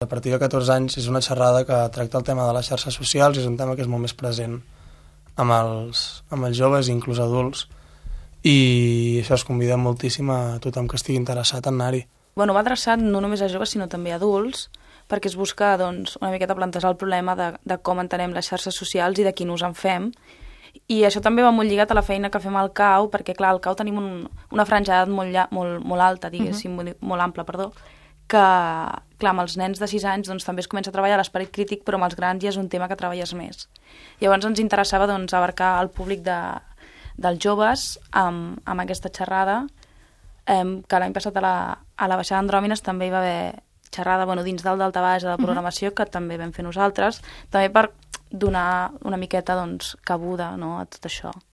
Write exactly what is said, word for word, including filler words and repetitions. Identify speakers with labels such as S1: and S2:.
S1: A partir de catorze anys és una xerrada que tracta el tema de les xarxes socials i és un tema que és molt més present amb els, amb els joves i inclús adults, i això es convida moltíssim a tothom que estigui interessat en anar-hi.
S2: Bueno, va adreçat no només a joves sinó també a adults, perquè es busca doncs, una miqueta plantejar el problema de, de com entenem les xarxes socials i de quin ús en fem. I això també va molt lligat a la feina que fem al C A U, perquè clar, al C A U tenim un, una franja d'edat molt, molt, molt alta, diguéssim, uh-huh. molt ampla, perdó, que, clar, amb els nens de sis anys doncs, també es comença a treballar l'esperit crític, però amb els grans ja és un tema que treballes més. Llavors ens interessava doncs, abarcar el públic de, dels joves amb, amb aquesta xerrada, eh, que l'any passat a la, a la Baixada Andròmines també hi va haver xerrada bueno, dins del daltabaix de la programació, uh-huh. que també vam fer nosaltres, també per donar una miqueta doncs, cabuda no, a tot això.